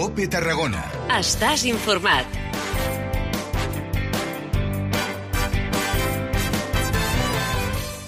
COPE Tarragona. Estàs informat.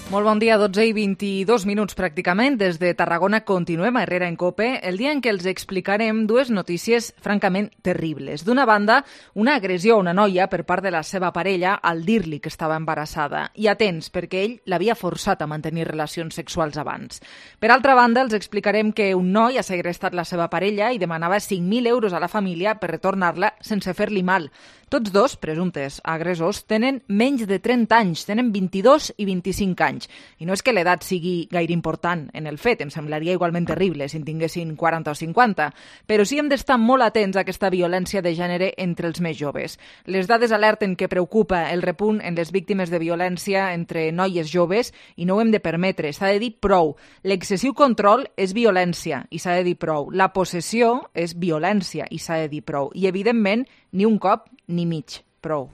Molt bon dia, 12:22 pràcticament. Des de Tarragona continuem a Herrera en COPE, el dia en què els explicarem dues notícies francament terribles. D'una banda, una agressió a una noia per part de la seva parella al dir-li que estava embarassada. I atents, perquè ell l'havia forçat a mantenir relacions sexuals abans. Per altra banda, els explicarem que un noi ha segrestat la seva parella i demanava 5.000 euros a la família per retornar-la sense fer-li mal. Tots dos, presumptes agressors, tenen menys de 30 anys, tenen 22 i 25 anys. I no és que l'edat sigui gaire important en el fet, em semblaria igualment terrible si en tinguessin 40 o 50, però sí hem d'estar molt atents a aquesta violència de gènere entre els més joves. Les dades alerten que preocupa el repunt en les víctimes de violència entre noies joves i no ho hem de permetre, s'ha de dir prou. L'excessiu control és violència i s'ha de dir prou. La possessió és violència i s'ha de dir prou. I, evidentment, ni un cop ni mig. Prou.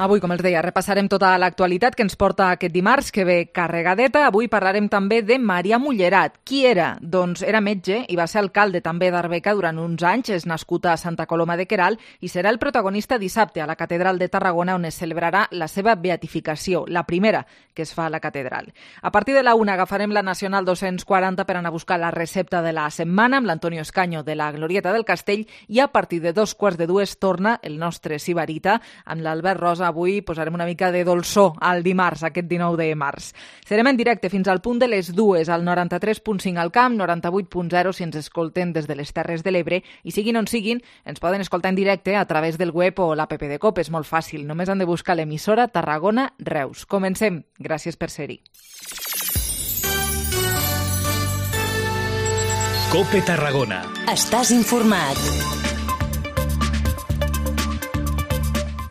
Avui, com els deia, repassarem tota l'actualitat que ens porta aquest dimarts, que ve carregadeta. Avui parlarem també de Maria Mullerat. Qui era? Doncs era metge i va ser alcalde també d'Arbeca durant uns anys. És nascut a Santa Coloma de Queralt i serà el protagonista dissabte a la Catedral de Tarragona, on es celebrarà la seva beatificació, la primera que es fa a la catedral. A partir de la 1 agafarem la Nacional 240 per anar a buscar la recepta de la setmana amb l'Antonio Escaño de la Glorieta del Castell i a partir de 2:15 torna el nostre Sibarita amb l'Albert Rosa. Avui posarem una mica de dolçor al dimarts, aquest 19 de març. Serem en directe fins al punt de les 2 al 93.5 al Camp, 98.0 si ens escolten des de les Terres de l'Ebre i siguin on siguin, ens poden escoltar en directe a través del web o l'app de COPE. És molt fàcil, només han de buscar l'emissora Tarragona Reus. Comencem. Gràcies per ser-hi. COPE Tarragona. Estàs informat.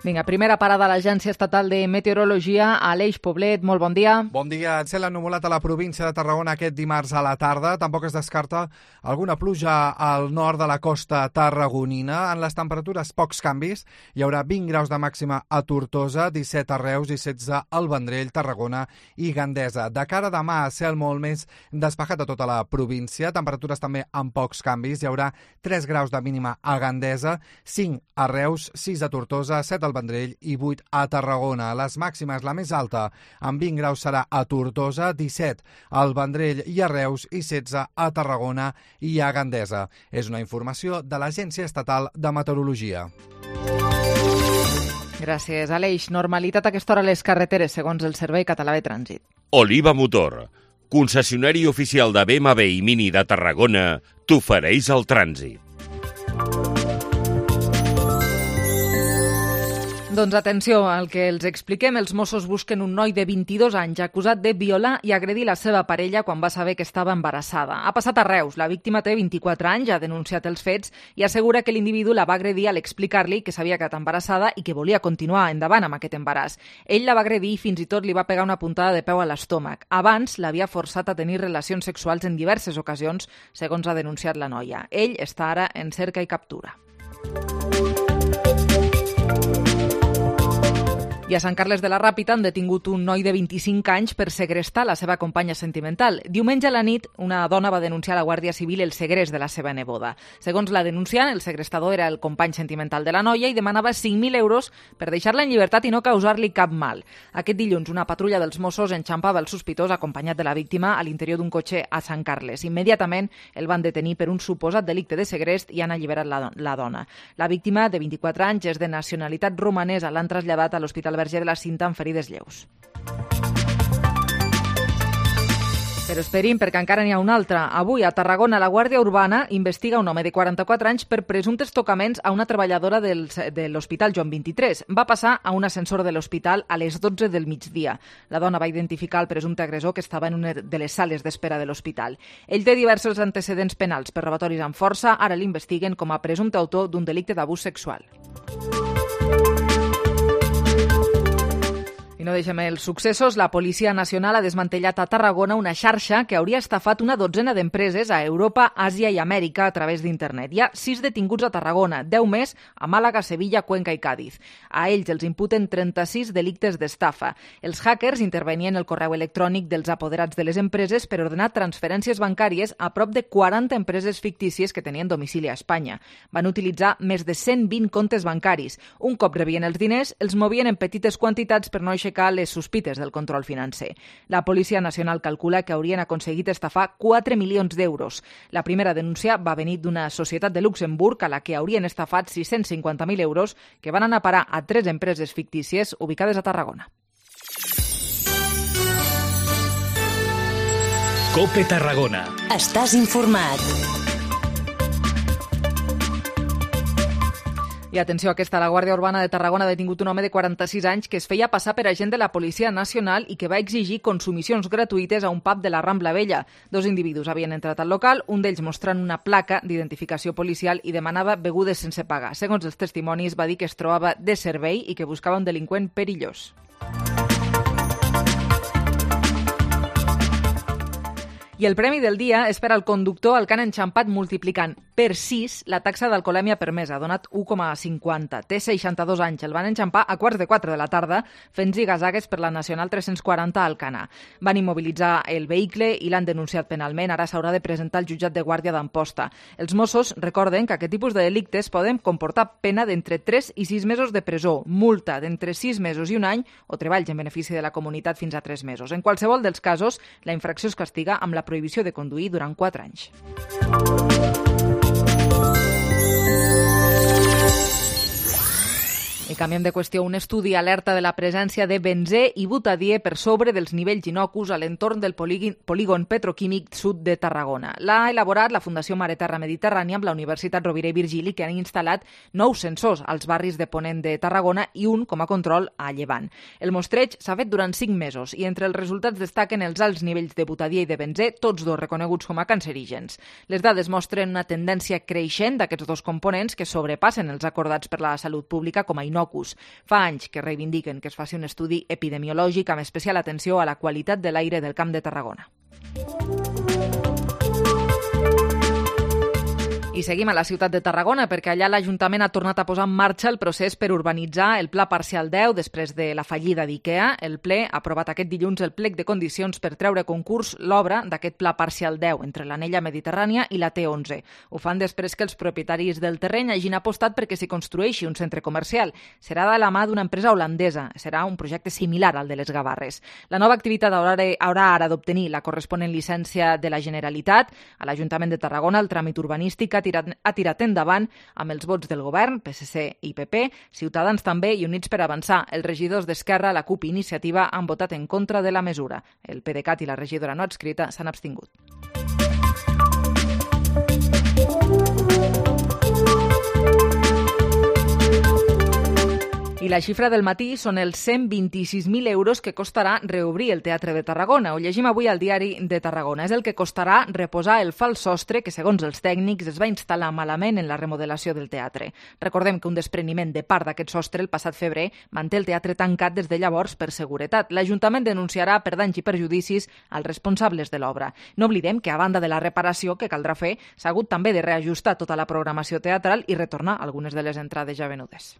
Vinga, primera parada a l'Agència Estatal de Meteorologia, Aleix Poblet, molt bon dia. Bon dia. Cel ennuvolat a la província de Tarragona aquest dimarts a la tarda. Tampoc es descarta alguna pluja al nord de la costa tarragonina. En les temperatures, pocs canvis. Hi haurà 20 graus de màxima a Tortosa, 17 a Reus i 16 al Vendrell, Tarragona i Gandesa. De cara a demà, cel molt més despejat a tota la província. Temperatures també amb pocs canvis. Hi haurà 3 graus de mínima a Gandesa, 5 a Reus, 6 a Tortosa, 7 al Vendrell i 8 a Tarragona. Les màximes, la més alta, amb 20 graus serà a Tortosa, 17 al Vendrell i a Reus i 16 a Tarragona i a Gandesa. És una informació de l'Agència Estatal de Meteorologia. Gràcies, Aleix. Normalitat a aquesta hora a les carreteres, segons el Servei Català de Trànsit. Oliva Motor, concessionari oficial de BMW i Mini de Tarragona, t'ofereix el trànsit. Doncs atenció al que els expliquem. Els Mossos busquen un noi de 22 anys acusat de violar i agredir la seva parella quan va saber que estava embarassada. Ha passat a Reus. La víctima té 24 anys, ha denunciat els fets i assegura que l'individu la va agredir al explicar-li que s'havia quedat embarassada i que volia continuar endavant amb aquest embaràs. Ell la va agredir i fins i tot li va pegar una puntada de peu a l'estómac. Abans l'havia forçat a tenir relacions sexuals en diverses ocasions, segons ha denunciat la noia. Ell està ara en cerca i captura. I a Sant Carles de la Ràpita han detingut un noi de 25 anys per segrestar la seva companya sentimental. Diumenge a la nit, una dona va denunciar a la Guàrdia Civil el segrest de la seva neboda. Segons la denunciant, el segrestador era el company sentimental de la noia i demanava 5.000 euros per deixar-la en llibertat i no causar-li cap mal. Aquest dilluns, una patrulla dels Mossos enxampava el sospitós acompanyat de la víctima a l'interior d'un cotxe a Sant Carles. Immediatament el van detenir per un suposat delicte de segrest i han alliberat la dona. La víctima, de 24 anys, és de nacionalitat romanesa. L'han traslladat a l'Hospital Verger de la Cinta amb ferides lleus. Però esperin, perquè encara n'hi ha una altra. Avui, a Tarragona, la Guàrdia Urbana investiga un home de 44 anys per presumptes tocaments a una treballadora de l'Hospital Joan 23. Va passar a un ascensor de l'hospital a les 12 del migdia. La dona va identificar el presumpte agressor que estava en una de les sales d'espera de l'hospital. Ell té diversos antecedents penals per robatoris amb força. Ara l'investiguen com a presumpte autor d'un delicte d'abús sexual. I no deixem els successos. La Policia Nacional ha desmantellat a Tarragona una xarxa que hauria estafat una dotzena d'empreses a Europa, Àsia i Amèrica a través d'internet. Hi ha 6 detinguts a Tarragona, 10 més a Màlaga, Sevilla, Cuenca i Càdiz. A ells els imputen 36 delictes d'estafa. Els hackers intervenien el correu electrònic dels apoderats de les empreses per ordenar transferències bancàries a prop de 40 empreses fictícies que tenien domicili a Espanya. Van utilitzar més de 120 comptes bancaris. Un cop rebien els diners, els movien en petites quantitats per no aixecar les sospites del control financer. La Policia Nacional calcula que haurien aconseguit estafar 4 milions d'euros. La primera denúncia va venir d'una societat de Luxemburg a la que haurien estafat 650.000 euros que van anar a parar a 3 empreses fictícies ubicades a Tarragona. COPE Tarragona. Estàs informat. I atenció, la Guàrdia Urbana de Tarragona ha detingut un home de 46 anys que es feia passar per agent de la Policia Nacional i que va exigir consumicions gratuïtes a un pub de la Rambla Vella. 2 individus havien entrat al local, un d'ells mostrant una placa d'identificació policial i demanava begudes sense pagar. Segons els testimonis, va dir que es trobava de servei i que buscava un delinqüent perillós. I el premi del dia és per al conductor al que han enxampat multiplicant per 6 la taxa d'alcoholèmia permesa, ha donat 1,50. Té 62 anys, el van enxampar a 3:15 de la tarda fent zigazagues per la Nacional 340 a Alcanar. Van immobilitzar el vehicle i l'han denunciat penalment. Ara s'haurà de presentar al jutjat de Guàrdia d'Amposta. Els Mossos recorden que aquest tipus de delictes poden comportar pena d'entre 3 i 6 mesos de presó, multa d'entre 6 mesos i un any o treballs en benefici de la comunitat fins a 3 mesos. En qualsevol dels casos, la infracció es castiga amb la prohibició de conduir durant 4 anys. I canviem de qüestió. Un estudi alerta de la presència de benzè i butadiè per sobre dels nivells innocus a l'entorn del polígon petroquímic sud de Tarragona. L'ha elaborat la Fundació Mare Terra Mediterrània amb la Universitat Rovira i Virgili, que han instal·lat 9 sensors als barris de Ponent de Tarragona i un com a control a Llevant. El mostreig s'ha fet durant 5 mesos i entre els resultats destaquen els alts nivells de butadiè i de benzè, tots dos reconeguts com a cancerígens. Les dades mostren una tendència creixent d'aquests dos components que sobrepassen els acordats per la salut pública com a innocus. Fa anys que reivindiquen que es faci un estudi epidemiològic amb especial atenció a la qualitat de l'aire del Camp de Tarragona. I seguim a la ciutat de Tarragona perquè allà l'Ajuntament ha tornat a posar en marxa el procés per urbanitzar el Pla Parcial 10 després de la fallida d'IKEA. El ple ha aprovat aquest dilluns el plec de condicions per treure a concurs l'obra d'aquest Pla Parcial 10 entre l'Anella Mediterrània i la T11. Ho fan després que els propietaris del terreny hagin apostat perquè s'hi construeixi un centre comercial. Serà de la mà d'una empresa holandesa. Serà un projecte similar al de les Gavarres. La nova activitat haurà ara d'obtenir la corresponent llicència de la Generalitat. A l'Ajuntament de Tarragona el tràmit urbanístic ha tirat endavant amb els vots del govern, PSC i PP, Ciutadans també i Units per Avançar. Els regidors d'Esquerra, la CUP i Iniciativa han votat en contra de la mesura. El PDeCAT i la regidora no adscrita s'han abstingut. I la xifra del matí són els 126.000 euros que costarà reobrir el Teatre de Tarragona. Ho llegim avui al Diari de Tarragona. És el que costarà reposar el fals sostre que, segons els tècnics, es va instal·lar malament en la remodelació del teatre. Recordem que un despreniment de part d'aquest sostre el passat febrer manté el teatre tancat des de llavors per seguretat. L'Ajuntament denunciarà per danys i perjudicis als responsables de l'obra. No oblidem que, a banda de la reparació que caldrà fer, s'ha hagut també de reajustar tota la programació teatral i retornar algunes de les entrades ja venudes.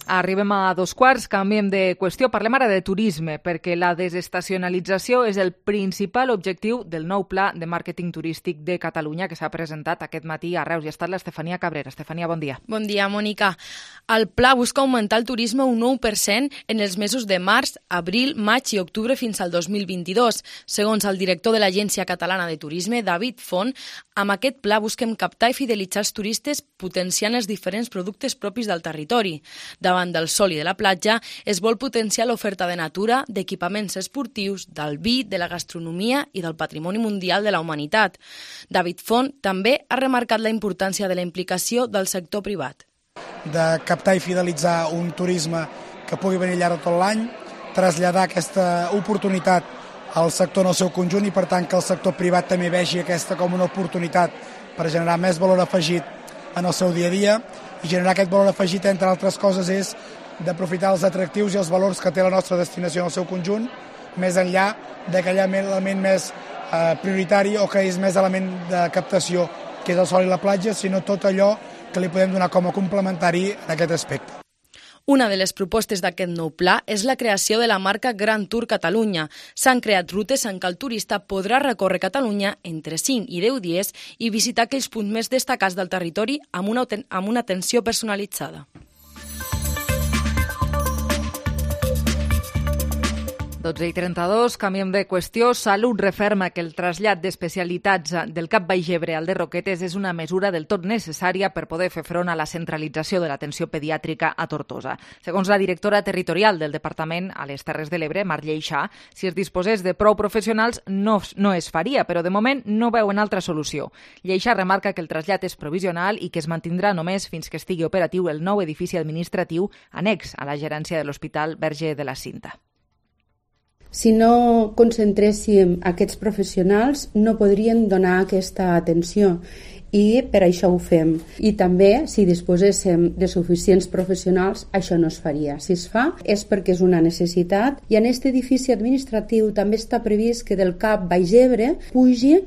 Arribem a 2:15, canviem de qüestió. Parlem ara de turisme, perquè la desestacionalització és el principal objectiu del nou pla de màrqueting turístic de Catalunya que s'ha presentat aquest matí a Reus. I ha estat l'Estefania Cabrera. Estefania, bon dia. Bon dia, Mònica. El pla busca augmentar el turisme un 9% en els mesos de març, abril, maig i octubre fins al 2022. Segons el director de l'Agència Catalana de Turisme, David Font, amb aquest pla busquem captar i fidelitzar els turistes potenciant els diferents productes propis del territori. Davant del sol i de la platja, es vol potenciar l'oferta de natura, d'equipaments esportius, del vi, de la gastronomia i del patrimoni mundial de la humanitat. David Font també ha remarcat la importància de la implicació del sector privat. De captar i fidelitzar un turisme que pugui venir llarg tot l'any, traslladar aquesta oportunitat al sector en el seu conjunt i, per tant, que el sector privat també vegi aquesta com una oportunitat per generar més valor afegit en el seu dia a dia, i generar aquest valor afegit, entre altres coses, és d'aprofitar els atractius i els valors que té la nostra destinació en el seu conjunt, més enllà d'aquell element més prioritari o que és més element de captació, que és el sol i la platja, sinó tot allò que li podem donar com a complementari en aquest aspecte. Una de les propostes d'aquest nou pla és la creació de la marca Grand Tour Catalunya. S'han creat rutes en què el turista podrà recórrer Catalunya entre 5 i 10 dies i visitar aquells punts més destacats del territori amb una atenció personalitzada. 12:32, canviem de qüestió. Salut referma que el trasllat d'especialitats del CAP Baix-Ebre al de Roquetes és una mesura del tot necessària per poder fer front a la centralització de l'atenció pediàtrica a Tortosa. Segons la directora territorial del Departament a les Terres de l'Ebre, Mar Lleixà, si es disposés de prou professionals no es faria, però de moment no veuen altra solució. Lleixà remarca que el trasllat és provisional i que es mantindrà només fins que estigui operatiu el nou edifici administratiu annex a la gerència de l'Hospital Verge de la Cinta. Si no concentréssim aquests professionals, no podrien donar aquesta atenció i per això ho fem. I també, si disposéssim de suficients professionals, això no es faria. Si es fa, és perquè és una necessitat. I en aquest edifici administratiu també està previst que del CAP Baix-Ebre pugi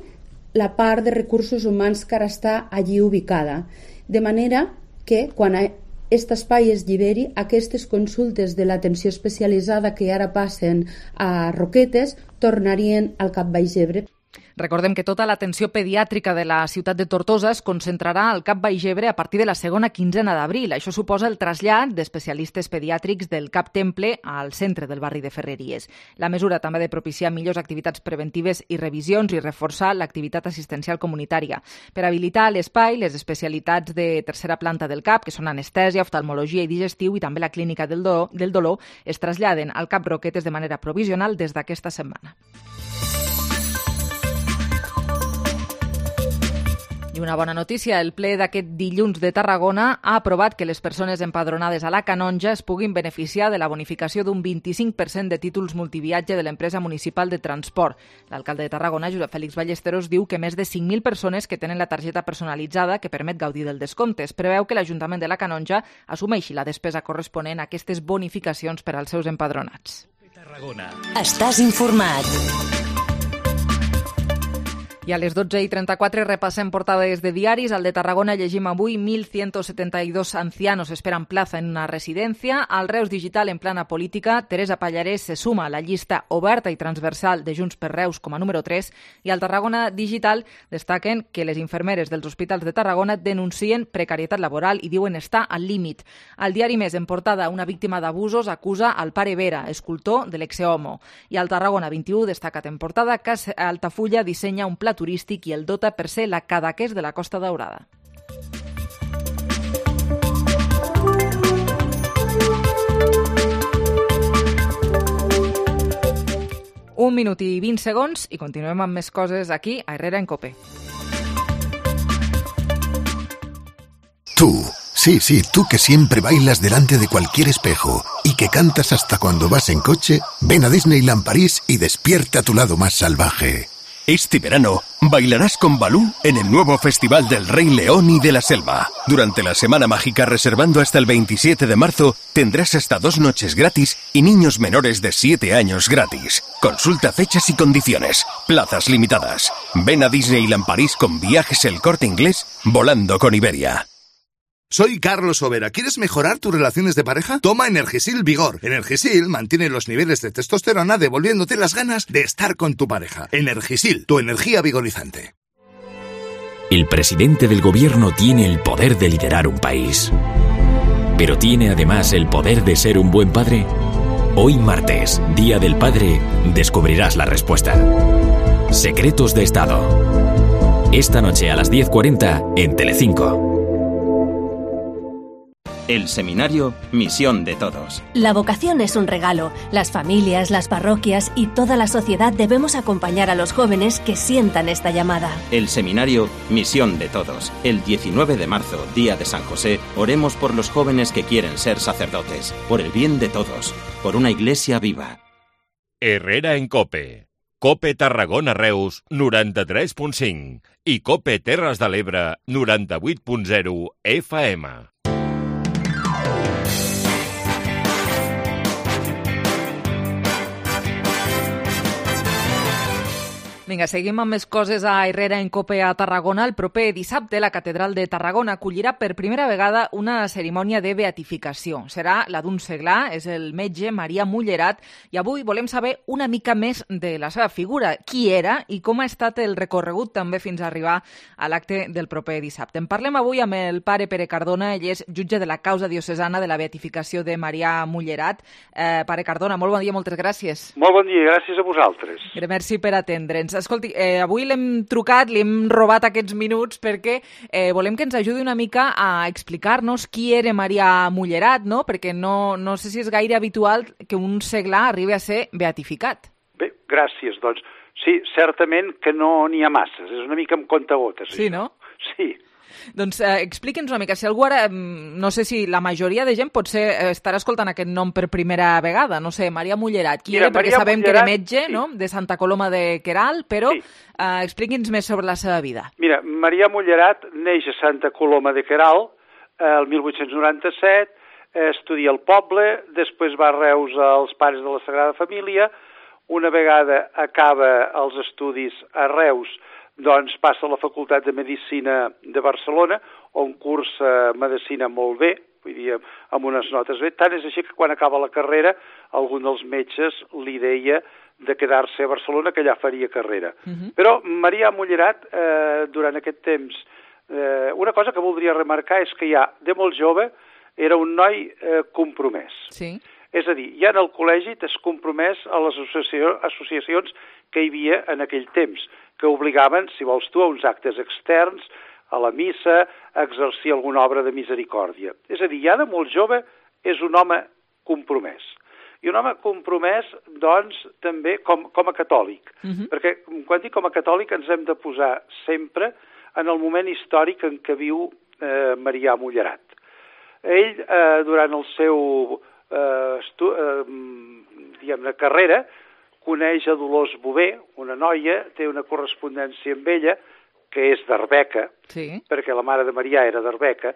la part de recursos humans que ara està allí ubicada. De manera que, quan aquest espai es lliberi, aquestes consultes de l'atenció especialitzada que ara passen a Roquetes tornarien al CAP Baix-Ebre. Recordem que tota l'atenció pediàtrica de la ciutat de Tortosa es concentrarà al CAP Baix-Ebre a partir de la segona quinzena d'abril. Això suposa el trasllat d'especialistes pediàtrics del CAP Temple al centre del barri de Ferreries. La mesura també ha de propiciar millors activitats preventives i revisions i reforçar l'activitat assistencial comunitària. Per habilitar l'espai, les especialitats de tercera planta del CAP, que són anestèsia, oftalmologia i digestiu, i també la clínica del dolor, es traslladen al CAP Roquetes de manera provisional des d'aquesta setmana. I una bona notícia, el ple d'aquest dilluns de Tarragona ha aprovat que les persones empadronades a la Canonja es puguin beneficiar de la bonificació d'un 25% de títols multiviatge de l'empresa municipal de transport. L'alcalde de Tarragona, Josep Félix Ballesteros, diu que més de 5.000 persones que tenen la targeta personalitzada que permet gaudir del descompte. Es preveu que l'Ajuntament de la Canonja assumeixi la despesa corresponent a aquestes bonificacions per als seus empadronats. Estàs informat. I a les 12:34 repassem portades de diaris. Al de Tarragona llegim avui 1.172 ancianos esperan plaza en una residència. Al Reus Digital en plana política, Teresa Pallarès se suma a la llista oberta i transversal de Junts per Reus com a número 3. I al Tarragona Digital destaquen que les infermeres dels hospitals de Tarragona denuncien precarietat laboral i diuen estar al límit. Al diari Més, en portada, una víctima d'abusos acusa al pare Vera, escultor de l'ex-homo. I al Tarragona 21 destacat en portada que Altafulla dissenya un pla turístic i el dota per ser la Cadaqués de la Costa Daurada. Un minut i 20 segons i continuem amb més coses aquí a Herrera en Cope. Tú, sí, tú que siempre bailas delante de cualquier espejo y que cantas hasta cuando vas en coche, ven a Disneyland París y despierta tu lado más salvaje. Este verano bailarás con Balú en el nuevo Festival del Rey León y de la Selva. Durante la Semana Mágica, reservando hasta el 27 de marzo, tendrás hasta 2 noches gratis y niños menores de 7 años gratis. Consulta fechas y condiciones. Plazas limitadas. Ven a Disneyland París con Viajes El Corte Inglés, volando con Iberia. Soy Carlos Overa. ¿Quieres mejorar tus relaciones de pareja? Toma Energisil Vigor. Energisil mantiene los niveles de testosterona devolviéndote las ganas de estar con tu pareja. Energisil, tu energía vigorizante. El presidente del gobierno tiene el poder de liderar un país. ¿Pero tiene además el poder de ser un buen padre? Hoy martes, Día del Padre, descubrirás la respuesta. Secretos de Estado. Esta noche a las 10:40 en Telecinco. El seminario Misión de Todos. La vocación es un regalo. Las familias, las parroquias y toda la sociedad debemos acompañar a los jóvenes que sientan esta llamada. El seminario Misión de Todos. El 19 de marzo, día de San José, oremos por los jóvenes que quieren ser sacerdotes, por el bien de todos, por una iglesia viva. Herrera en COPE. COPE Tarragona Reus 93.5 i COPE Terres de l'Ebre 98.0 FM. Vinga, seguim amb més coses a Herrera en COPE a Tarragona. El proper dissabte la Catedral de Tarragona acollirà per primera vegada una cerimònia de beatificació. Serà la d'un seglar, és el metge Marià Mullerat, i avui volem saber una mica més de la seva figura, qui era i com ha estat el recorregut també fins a arribar a l'acte del proper dissabte. En parlem avui amb el pare Pere Cardona, ell és jutge de la causa diocesana de la beatificació de Marià Mullerat. Pare Cardona, molt bon dia, moltes gràcies. Molt bon dia, gràcies a vosaltres. Merci per atendre'ns. Escolti, avui l'hem trucat, li hem robat aquests minuts perquè volem que ens ajudi una mica a explicar-nos qui era Marià Mullerat, no? Perquè no sé si és gaire habitual que un seglar arribi a ser beatificat. Bé, gràcies. Doncs sí, certament que no n'hi ha masses, és una mica amb comptagotes. Sí, no? Sí. Doncs expliqui'ns una mica, si algú ara, no sé si la majoria de gent potser estarà escoltant aquest nom per primera vegada, no sé, Marià Mullerat, qui era? Perquè sabem que era metge, sí, no?, de Santa Coloma de Queralt, però sí, expliqui'ns més sobre la seva vida. Mira, Marià Mullerat neix a Santa Coloma de Queralt el 1897, estudia al poble, després va a Reus als Pares de la Sagrada Família, una vegada acaba els estudis a Reus, doncs passa a la Facultat de Medicina de Barcelona, on cursa medicina molt bé, vull dir, amb unes notes bé. Tant és així que quan acaba la carrera, algun dels metges li deia de quedar-se a Barcelona, que allà faria carrera. Però Marià Mullerat, durant aquest temps, una cosa que voldria remarcar és que ja, de molt jove, era un noi compromès. Sí. És a dir, ja en el col·legi t'has compromès a les associacions que hi havia en aquell temps, que obligaven, si vols tu, a uns actes externs, a la missa, a exercir alguna obra de misericòrdia. És a dir, ja de molt jove és un home compromès. I un home compromès, doncs, també com a catòlic. Perquè, quan dic com a catòlic, ens hem de posar sempre en el moment històric en què viu Marià Mullerat. Ell, durant el seu carrera, coneix a Dolors Bové, una noia, té una correspondència amb ella, que és d'Arbeca, sí, perquè la mare de Marià era d'Arbeca,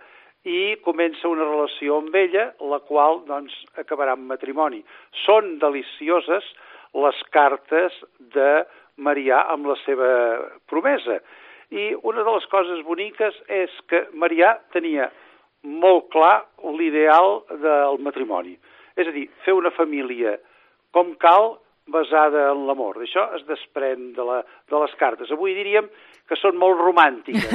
i comença una relació amb ella, la qual, doncs, acabarà en matrimoni. Són delicioses les cartes de Marià amb la seva promesa. I una de les coses boniques és que Marià tenia molt clar l'ideal del matrimoni. És a dir, fer una família com cal, basada en l'amor. D'això es desprèn de les cartes. Avui diríem que són molt romàntiques.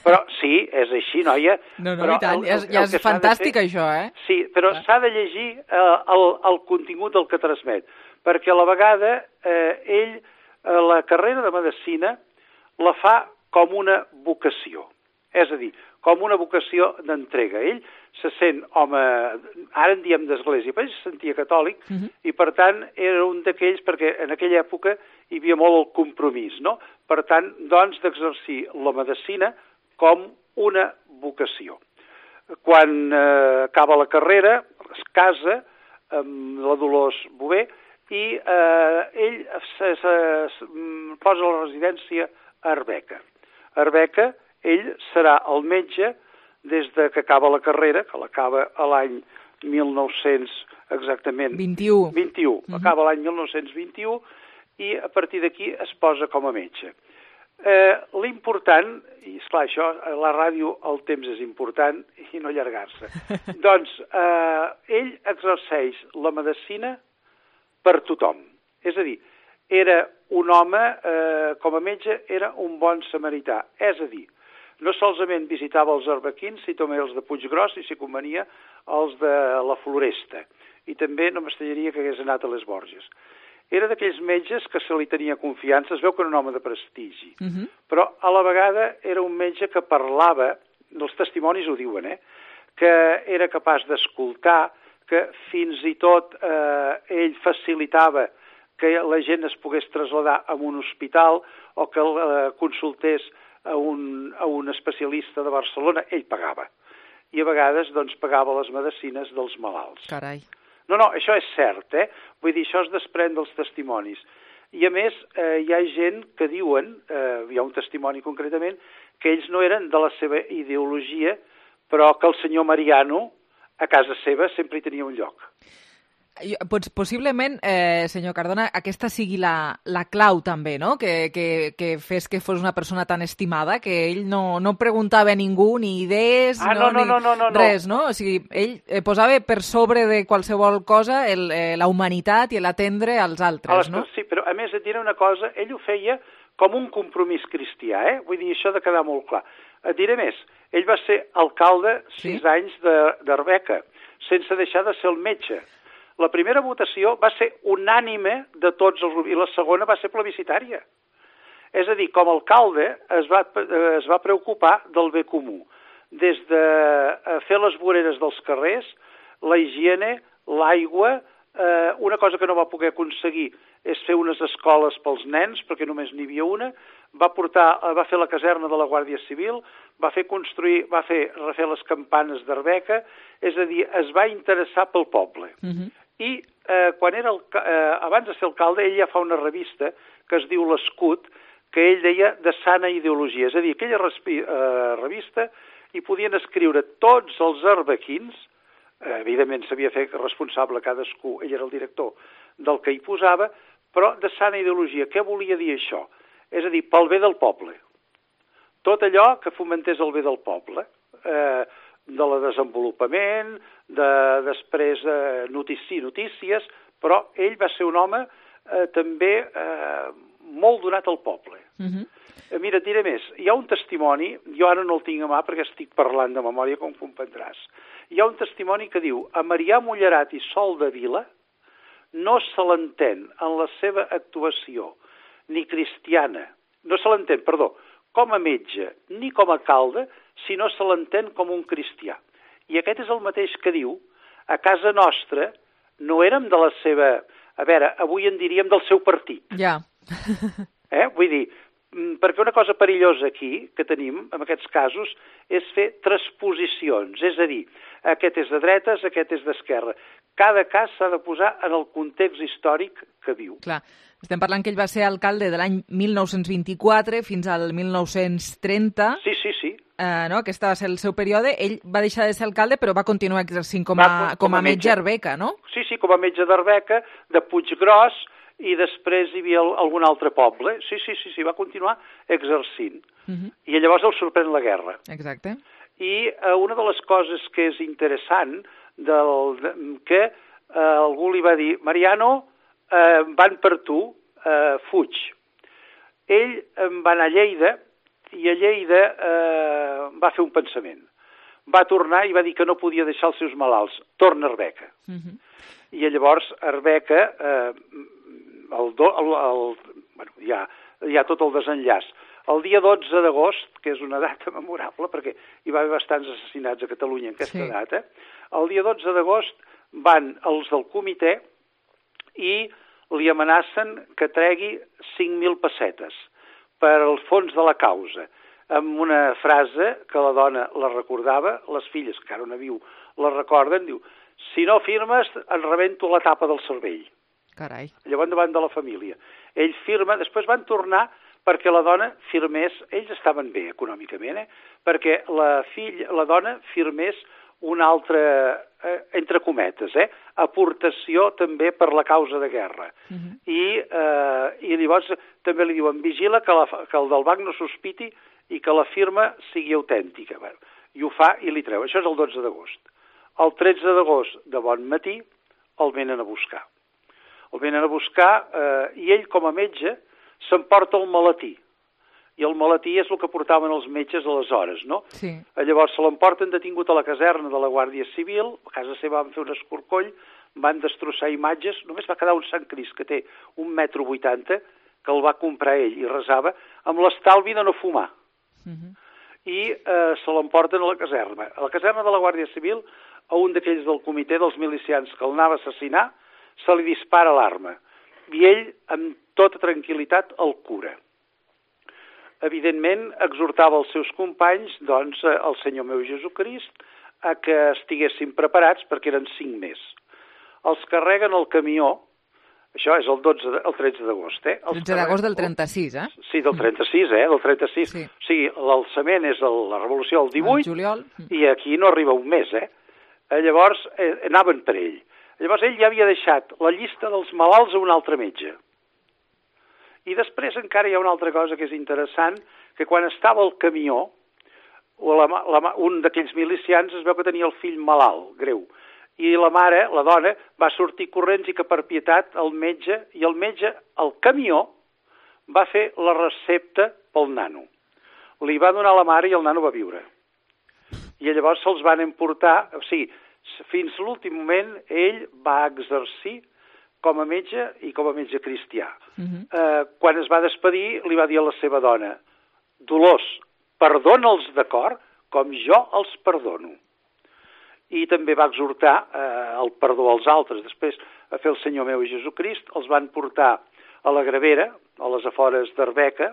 Però sí, és així, noia. No, i tant, ja és fantàstic això, eh? Sí, però s'ha de llegir el contingut del que transmet. Perquè a la vegada ell la carrera de medicina la fa com una vocació. És a dir, com una vocació d'entrega. Ell se sent home, ara en diem d'església, però ell se sentia catòlic, i per tant era un d'aquells, perquè en aquella època hi havia molt el compromís, no? Per tant, doncs, d'exercir la medicina com una vocació. Quan acaba la carrera, es casa amb la Dolors Bové i ell posa la residència a Arbeca. Arbeca, ell serà el metge des que acaba la carrera, que l'acaba a l'any 1900, exactament... 21. Acaba l'any 1921 i a partir d'aquí es posa com a metge. L'important, i esclar, això, a la ràdio el temps és important i no allargar-se, doncs ell exerceix la medicina per tothom. És a dir, era un home, com a metge, era un bon samarità. És a dir, no solament visitava els arbequins, sinó també els de Puiggròs i, si convenia, els de la Floresta. I també no m'estranyaria que hagués anat a les Borges. Era d'aquells metges que se li tenia confiança, es veu que era un home de prestigi, però a la vegada era un metge que parlava, els testimonis ho diuen, que era capaç d'escoltar, que fins i tot ell facilitava que la gent es pogués traslladar a un hospital o que consultés a un especialista de Barcelona, ell pagava. I a vegades doncs, pagava les medicines dels malalts. Carai. No, això és cert, Vull dir, això es desprèn dels testimonis. I a més, hi ha gent que diuen, hi ha un testimoni concretament, que ells no eren de la seva ideologia, però que el senyor Mariano, a casa seva, sempre hi tenia un lloc. Possiblement, senyor Cardona, aquesta sigui la clau també, no? Que fes que fos una persona tan estimada, que ell no preguntava a ningú ni idees, res, no? O sigui, ell posava per sobre de qualsevol cosa la humanitat i l'atendre als altres, no? Sí, però a més et diré una cosa, ell ho feia com un compromís cristià, Vull dir, això ha de quedar molt clar. Et diré més, ell va ser alcalde 6 anys d'Arbeca, sense deixar de ser el metge. La primera votació va ser unànime de tots els grups i la segona va ser plebiscitària. És a dir, com a alcalde es va preocupar del bé comú, des de fer les voreres dels carrers, la higiene, l'aigua, una cosa que no va poder aconseguir és fer unes escoles pels nens, perquè només n'hi havia una, va fer la caserna de la Guàrdia Civil, va fer refer les campanes d'Arbeca, és a dir, es va interessar pel poble. I quan abans de ser alcalde, ell ja fa una revista que es diu L'Escut, que ell deia de sana ideologia. És a dir, aquella revista hi podien escriure tots els arbequins, evidentment s'havia fet responsable cadascú, ell era el director del que hi posava, però de sana ideologia. Què volia dir això? És a dir, pel bé del poble. Tot allò que fomentés el bé del poble, de la desenvolupament, després notícies, però ell va ser un home també molt donat al poble. Mira, et diré més, hi ha un testimoni, jo ara no el tinc a mà perquè estic parlant de memòria, com comprendràs. Hi ha un testimoni que diu: a Marià Mullerat i Sol de Vila no se l'entén en la seva actuació ni cristiana, no se l'entén, perdó, com a metge ni com a alcalde, si no se l'entén com un cristià. I aquest és el mateix que diu: a casa nostra no érem de la seva... A veure, avui en diríem del seu partit. Ja. Vull dir, perquè una cosa perillosa aquí, que tenim, en aquests casos, és fer transposicions. És a dir, aquest és de dretes, aquest és d'esquerra. Cada cas s'ha de posar en el context històric que viu. Clar. Estem parlant que ell va ser alcalde de l'any 1924 fins al 1930. Sí. No? Aquest va ser el seu període. Ell va deixar de ser alcalde, però va continuar exercint com a metge a Arbeca, no? Sí, com a metge d'Arbeca, de Puiggròs, i després hi havia algun altre poble. Sí, va continuar exercint. I llavors el sorprèn la guerra. Exacte. I una de les coses que és interessant, que algú li va dir: Mariano, van per tu, fuig. Ell va anar a Lleida, i a Lleida va fer un pensament. Va tornar i va dir que no podia deixar els seus malalts. Torna a Arbeca. I llavors Arbeca, hi ha tot el desenllaç. El dia 12 d'agost, que és una data memorable, perquè hi va haver bastants assassinats a Catalunya en aquesta data, el dia 12 d'agost van els del comitè i li amenacen que tregui 5.000 pessetes per al fons de la causa, amb una frase que la dona la recordava, les filles, que ara no viu, la recorden, diu: si no firmes, et rebento la tapa del cervell. Carai. Llavors davant de la família. Ell firma, després van tornar perquè la dona firmés, ells estaven bé econòmicament, perquè la dona firmés una altra, entre cometes, aportació també per la causa de guerra. I llavors també li diuen: vigila que el del banc no sospiti i que la firma sigui autèntica. I ho fa i li treu. Això és el 12 d'agost. El 13 d'agost, de bon matí, el venen a buscar. I ell, com a metge, s'emporta el maletí. I el maletí és el que portaven els metges aleshores, no? Sí. Llavors se l'emporten detingut a la caserna de la Guàrdia Civil, a casa seva van fer un escorcoll, van destrossar imatges, només va quedar un Sant Crist que té 1,80 m, que el va comprar ell i resava, amb l'estalvi de no fumar. i se l'emporten a la caserna. A la caserna de la Guàrdia Civil, a un d'aquells del comitè dels milicians que el anava a assassinar, se li dispara l'arma. I ell, amb tota tranquil·litat, el cura. Evidentment, exhortava els seus companys, doncs, el Senyor meu Jesucrist, a que estiguessin preparats perquè eren 5 més. Els carreguen al camió, això és el 13 d'agost, eh? 13 d'agost del 36, eh? Sí, del 36, del 36. Sí. O sigui, l'alçament és la revolució del 18, juliol. I aquí no arriba un mes, eh? Llavors, anaven per ell. Llavors, ell ja havia deixat la llista dels malalts a un altre metge. I després encara hi ha una altra cosa que és interessant, que quan estava al camió, un d'aquells milicians es veu que tenia el fill malalt, greu, i la mare, la dona, va sortir corrents i que per pietat el metge, i el metge, al camió, va fer la recepta pel nano. Li va donar a la mare i el nano va viure. I llavors se'ls van emportar, o sigui, fins a l'últim moment ell va exercir com a metge i com a metge cristià. Quan es va despedir, li va dir a la seva dona: Dolors, perdona'ls d'acord, com jo els perdono. I també va exhortar el perdó als altres. Després, a fer el Senyor meu Jesucrist, els van portar a la Gravera, a les afores d'Arbeca,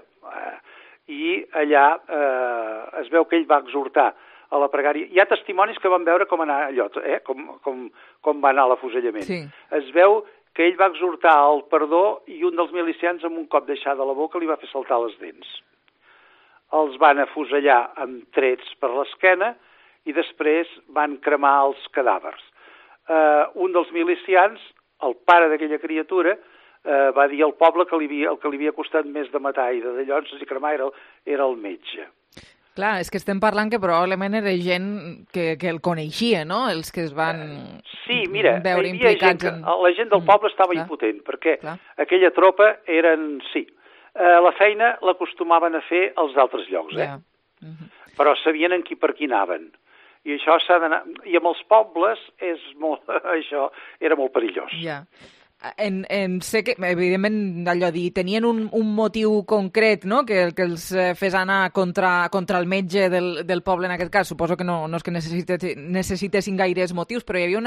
i allà es veu que ell va exhortar a la pregària. Hi ha testimonis que van veure com anar allò, com va anar l'afusellament. Sí. Es veu que ell va exhortar al perdó i un dels milicians amb un cop deixat de la boca li va fer saltar les dents. Els van afusellar amb trets per l'esquena i després van cremar els cadàvers. Un dels milicians, el pare d'aquella criatura, va dir al poble que el que li havia costat més de matar i de llonses i cremar era el metge. Clar, és que estem parlant que probablement era gent que el coneixia, no? Els que es van veure implicats en... La gent del poble estava impotent, perquè aquella tropa eren... Sí, la feina l'acostumaven a fer als altres llocs, però sabien en per qui anaven. I això s'ha d'anar... I amb els pobles això era molt perillós. Ja. Sé que, evidentment, allò dir, tenien un motiu concret, no?, que els fes anar contra el metge del poble, en aquest cas. Suposo que no és que necessitessin gaires motius, però hi havia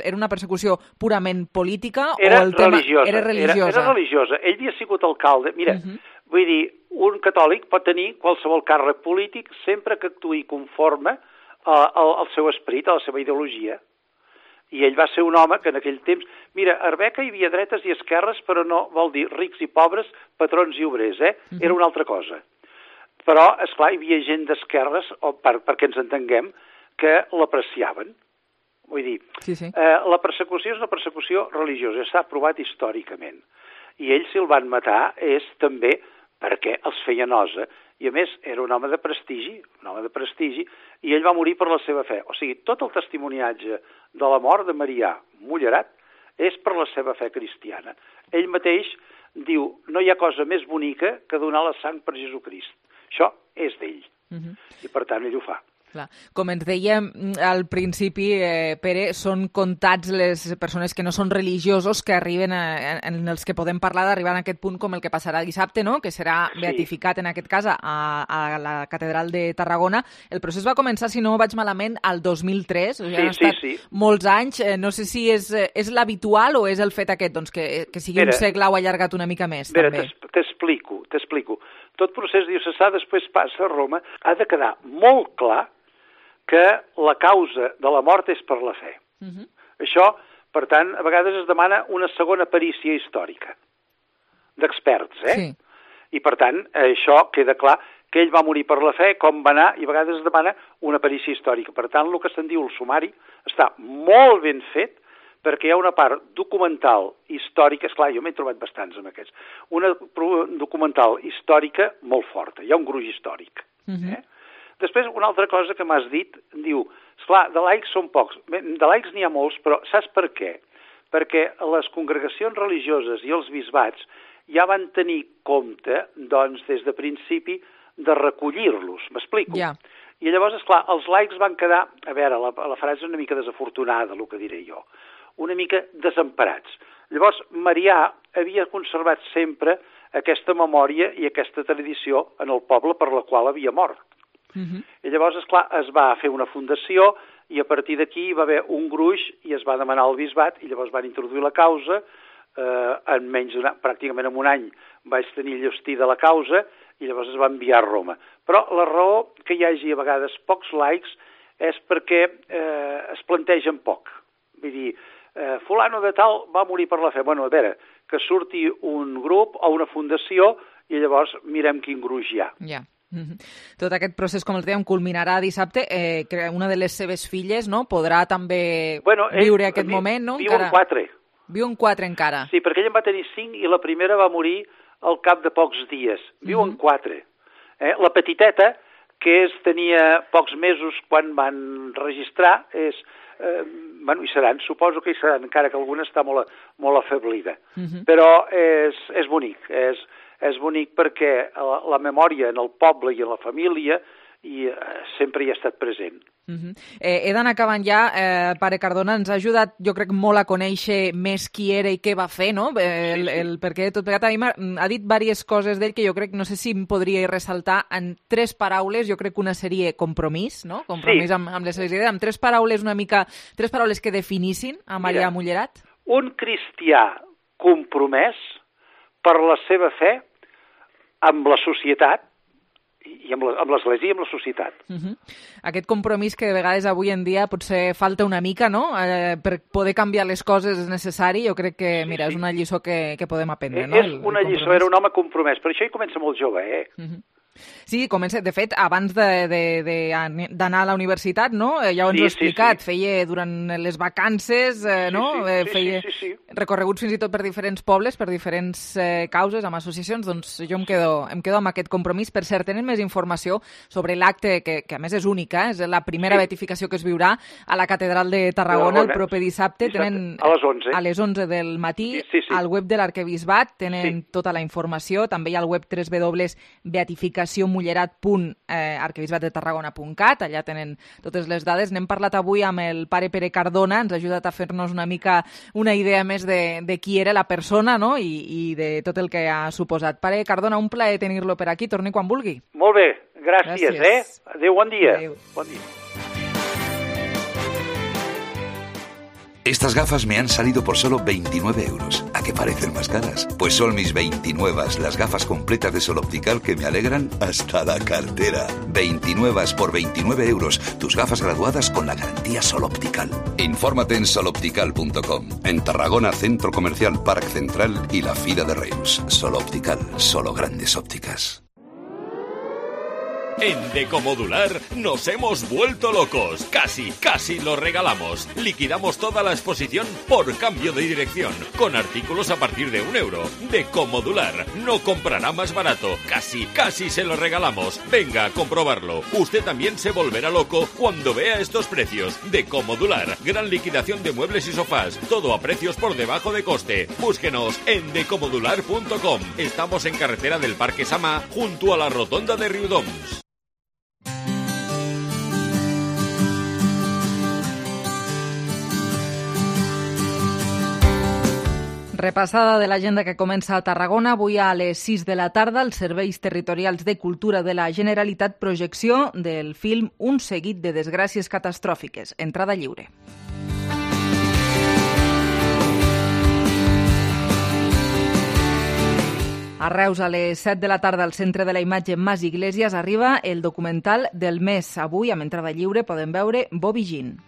era una persecució purament política o el tema era religiosa? Era religiosa. Ell havia sigut alcalde. Mira, vull dir, un catòlic pot tenir qualsevol càrrec polític sempre que actuï conforme al seu esperit, a la seva ideologia. I ell va ser un home que en aquell temps... Mira, a Arbeca hi havia dretes i esquerres, però no vol dir rics i pobres, patrons i obrers, Era una altra cosa. Però, esclar, hi havia gent d'esquerres, perquè ens entenguem, que l'apreciaven. Vull dir, la persecució és una persecució religiosa, està provat històricament. I ells, si el van matar, és també perquè els feia nosa. I, a més, era un home de prestigi, i ell va morir per la seva fe. O sigui, tot el testimoniatge de la mort de Marià Mullerat és per la seva fe cristiana. Ell mateix diu, no hi ha cosa més bonica que donar la sang per Jesucrist. Això és d'ell. I, per tant, ell ho fa. Clar. Com ens dèiem al principi, Pere, són comptats les persones que no són religiosos que arriben, en els que podem parlar d'arribar a aquest punt com el que passarà dissabte, no?, que serà beatificat en aquest cas a la Catedral de Tarragona. El procés va començar, si no vaig malament, al 2003. Han estat molts anys. No sé si és l'habitual o és el fet aquest, doncs, que sigui un segle o allargat una mica més. T'explico. Tot procés diocesà després passa a Roma. Ha de quedar molt clar que la causa de la mort és per la fe. Això, per tant, a vegades es demana una segona perícia històrica d'experts, I, per tant, això queda clar que ell va morir per la fe, com va anar, i a vegades es demana una perícia històrica. Per tant, el que se'n diu el sumari està molt ben fet, perquè hi ha una part documental històrica, esclar, jo m'he trobat bastants amb aquests, una documental històrica molt forta, hi ha un gruix històric, Després, una altra cosa que m'has dit, diu, esclar, de laics són pocs. De laics n'hi ha molts, però saps per què? Perquè les congregacions religioses i els bisbats ja van tenir compte, doncs, des de principi, de recollir-los. M'explico? I llavors, esclar, els laics van quedar, a veure, la frase és una mica desafortunada, el que diré jo, una mica desemparats. Llavors, Marià havia conservat sempre aquesta memòria i aquesta tradició en el poble per la qual havia mort. I llavors, esclar, es va fer una fundació i a partir d'aquí va haver un gruix i es va demanar al bisbat i llavors van introduir la causa. En menys pràcticament en un any vaig tenir llostí de la causa i llavors es va enviar a Roma. Però la raó que hi hagi a vegades pocs likes és perquè es plantegen poc. Vull dir, fulano de tal va morir per la fe. Bueno, a veure, que surti un grup o una fundació i llavors mirem quin gruix hi ha. Ja. Tot aquest procés, com els dèiem, culminarà dissabte. Una de les seves filles, no?, podrà també viure aquest moment, no? Viu en 4. Viu en 4 encara. Sí, perquè ell en va tenir 5 i la primera va morir al cap de pocs dies. Viu en 4. La petiteta, que tenia pocs mesos quan van registrar, hi seran, suposo que hi seran, encara que alguna està molt afeblida. Però és bonic, és bonic perquè la memòria en el poble i en la família sempre hi ha estat present. He d'anar acabant ja. Pare Cardona, ens ha ajudat, jo crec, molt a conèixer més qui era i què va fer, no? Perquè tot plegat a mi ha dit diverses coses d'ell que jo crec, no sé si em podria ressaltar en 3 paraules. Jo crec que una seria compromís, no? Compromís amb les seves idees. Amb 3 paraules una mica, 3 paraules que definissin a Marià Mullerat. Un cristià compromès per la seva fe amb la societat i amb l'Església i amb la societat. Aquest compromís que de vegades avui en dia potser falta una mica, no? Per poder canviar les coses és necessari. Jo crec que, mira, és una lliçó que podem aprendre, no? És una lliçó, era un home compromès. Per això hi comença molt jove, Sí, comença, de fet, abans d'anar a la universitat, no? Ja ho ens ho he explicat, feia durant les vacances, no? Feia recorreguts fins i tot per diferents pobles, per diferents causes, amb associacions. Doncs jo em quedo amb aquest compromís. Per cert, tenen més informació sobre l'acte, que a més és única, és la primera beatificació que es viurà a la Catedral de Tarragona el proper dissabte. Tenen a les 11. A les 11 del matí, al web de l'Arquebisbat, tenen tota la informació. També hi ha el web www.beatificacioMullerat.arquebisbatdetarragona.cat. Allà tenen totes les dades. N'hem parlat avui amb el pare Pere Cardona, ens ha ajudat a fer-nos una mica una idea més de qui era la persona, no? I de tot el que ha suposat. Pare Cardona, un plaer tenir-lo per aquí. Torni quan vulgui. Molt bé, gràcies. Adéu, bon dia. Adéu. Bon dia. Estas gafas me han salido por solo 29 euros. ¿A qué parecen más caras? Pues son mis 29, las gafas completas de Sol Optical que me alegran hasta la cartera. 29 por 29 euros. Tus gafas graduadas con la garantía Sol Optical. Infórmate en soloptical.com. En Tarragona, Centro Comercial Parc Central y la Fira de Reus. Sol Optical, solo grandes ópticas. En Decomodular nos hemos vuelto locos. Casi lo regalamos. Liquidamos toda la exposición por cambio de dirección, con artículos a partir de €1. Decomodular no comprará más barato. Casi se lo regalamos. Venga a comprobarlo. Usted también se volverá loco cuando vea estos precios. Decomodular, gran liquidación de muebles y sofás. Todo a precios por debajo de coste. Búsquenos en decomodular.com. Estamos en carretera del Parque Samà, junto a la rotonda de Riudoms. Repassada de l'agenda que comença a Tarragona. Avui a les 6 de la tarda, els serveis territorials de cultura de la Generalitat, projecció del film Un seguit de desgràcies catastròfiques. Entrada lliure. A Reus, a les 7 de la tarda, al Centre de la Imatge Mas Iglesias, arriba el documental del mes. Avui, amb entrada lliure, podem veure Bobby Jean.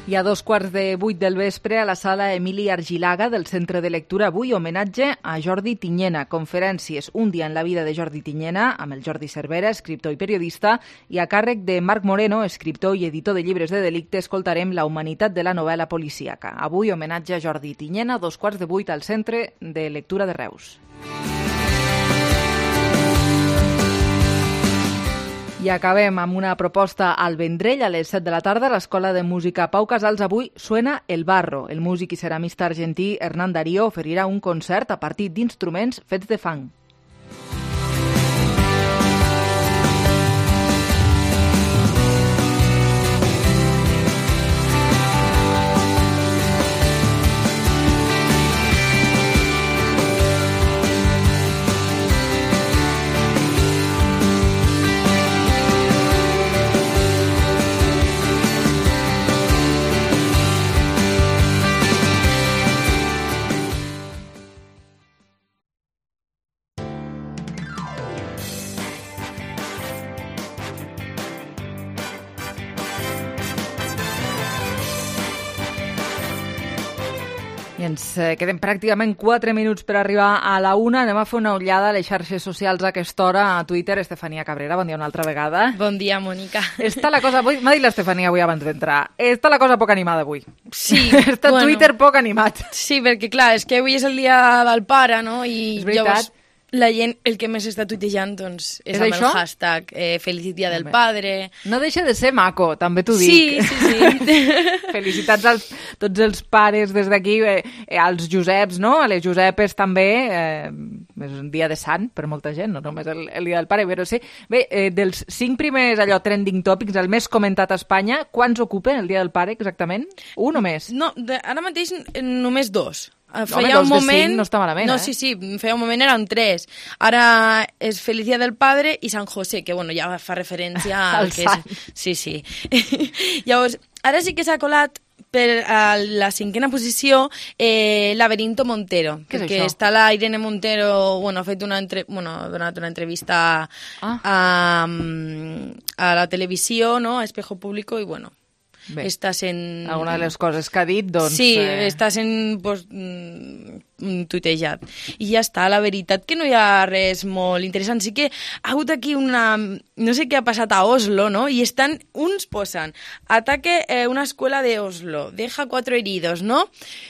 I a 7:15 del vespre, a la sala Emili Argilaga del Centre de Lectura, avui homenatge a Jordi Tiñena. Conferències, un dia en la vida de Jordi Tiñena, amb el Jordi Cervera, escriptor i periodista, i a càrrec de Marc Moreno, escriptor i editor de llibres de delicte, escoltarem La humanitat de la novel·la policíaca. Avui homenatge a Jordi Tiñena, 7:15 al Centre de Lectura de Reus. I acabem amb una proposta al Vendrell. A les 7 de la tarda, a l'Escola de Música Pau Casals, avui suena El Barro. El músic i ceramista argentí Hernán Darío oferirà un concert a partir d'instruments fets de fang. ens queden pràcticament 4 minuts per arribar a la 1. Anem a fer una ullada a les xarxes socials a aquesta hora, a Twitter. Estefania Cabrera, bon dia una altra vegada. Bon dia, Mònica. Està la cosa... M'ha dit l'Estefania avui abans d'entrar. Està la cosa poc animada avui. Sí. Està Twitter poc animat. Sí, perquè clar, és que avui és el dia del pare, no? I és veritat. Llavors la gent, el que més està tuitejant, doncs, és amb això? el hashtag Feliz Dia del Padre. No deixa de ser maco, també t'ho dic. Sí. Felicitats a tots els pares des d'aquí, als Joseps, no? A les Josepes també. És un dia de sant per molta gent, no només el dia del pare, però sí. Bé, dels 5 primers trending topics, el més comentat a Espanya, quants ocupen el dia del pare exactament? Un o més? No, ara mateix només 2. Feia un moment... no està malament, no, sí, feia un moment eren 3. Ara és Feliz Día del Padre i Sant José, que bueno, ja fa referència al que sant. és... Sí. Llavors, ara sí que s'ha colat per a la 5ª posició Laberinto Montero, Què és que això? està la Irene Montero, ha fet ha donat una entrevista a la televisió, no? A Espejo Público, i bueno, Bé, està sent... alguna de les coses que ha dit, doncs... Sí, està sent tuitejat. I ja està, la veritat que no hi ha res molt interessant. Sí que ha hagut aquí una... No sé què ha passat a Oslo, no? I uns posen ataque una escuela de Oslo, deja 4 heridos, no?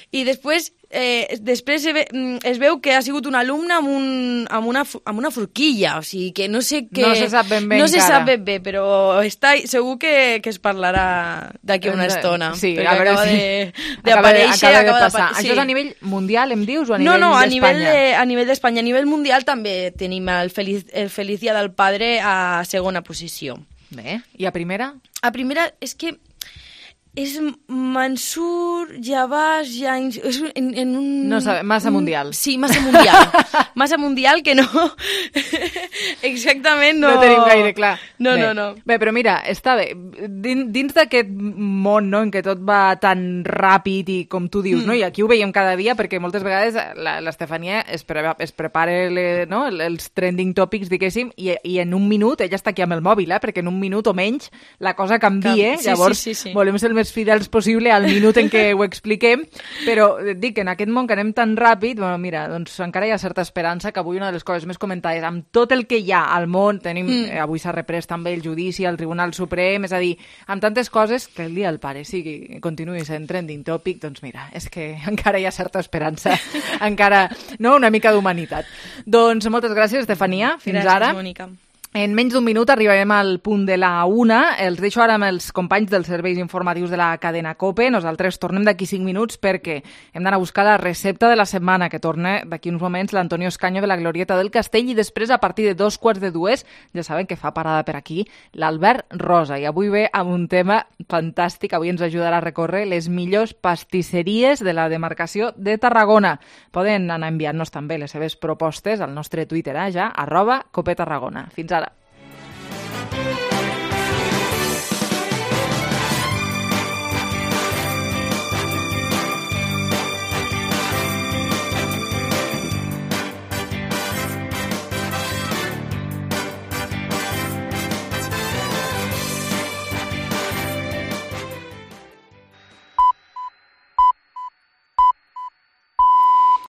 I després es veu que ha sigut un alumne amb una forquilla, o sigui que no sé què... No se sap ben bé no se encara. sap ben bé, però segur que es parlarà d'aquí una estona. Sí, perquè a veure d'aparèixer, acaba de passar. sí. Això és a nivell mundial, em dius, o a nivell No, d'Espanya? a nivell d'Espanya. A nivell mundial també tenim el Feliz Dia del Padre a 2ª posició. Bé, i a primera? A primera és que és Mansur, Jabás, Jains... És en un... No sabe, massa mundial. Sí, massa mundial. Massa mundial que no... Exactament no... No tenim gaire clar. No. Bé, però mira, està bé. Dins d'aquest món, no?, en què tot va tan ràpid i com tu dius, no? I aquí ho veiem cada dia perquè moltes vegades l'Estefania es prepara els trending topics, diguéssim, i en un minut, ella està aquí amb el mòbil, perquè en un minut o menys la cosa canvia, llavors sí. volem ser el més fidels possible al minut en què ho expliquem, però dic que en aquest món que anem tan ràpid, bueno, mira, doncs encara hi ha certa esperança que avui una de les coses més comentades, amb tot el que hi ha al món, tenim, avui s'ha reprès també el judici al Tribunal Suprem, és a dir, amb tantes coses, que el dia del pare continuï sent trending topic, doncs mira, és que encara hi ha certa esperança, encara, no?, una mica d'humanitat. Doncs moltes gràcies, Estefania, fins ara. Gràcies, Mònica. En menys d'un minut arribarem al punt de la 1. Els deixo ara amb els companys dels serveis informatius de la cadena COPE. Nosaltres tornem d'aquí 5 minuts perquè hem d'anar a buscar la recepta de la setmana, que torna d'aquí uns moments l'Antonio Escaño de la Glorieta del Castell, i després, a partir de 2:45, ja saben que fa parada per aquí, l'Albert Rosa. I avui ve amb un tema fantàstic. Avui ens ajudarà a recórrer les millors pastisseries de la demarcació de Tarragona. Poden anar enviant-nos també les seves propostes al nostre Twitter, @CopeTarragona. Fins ara.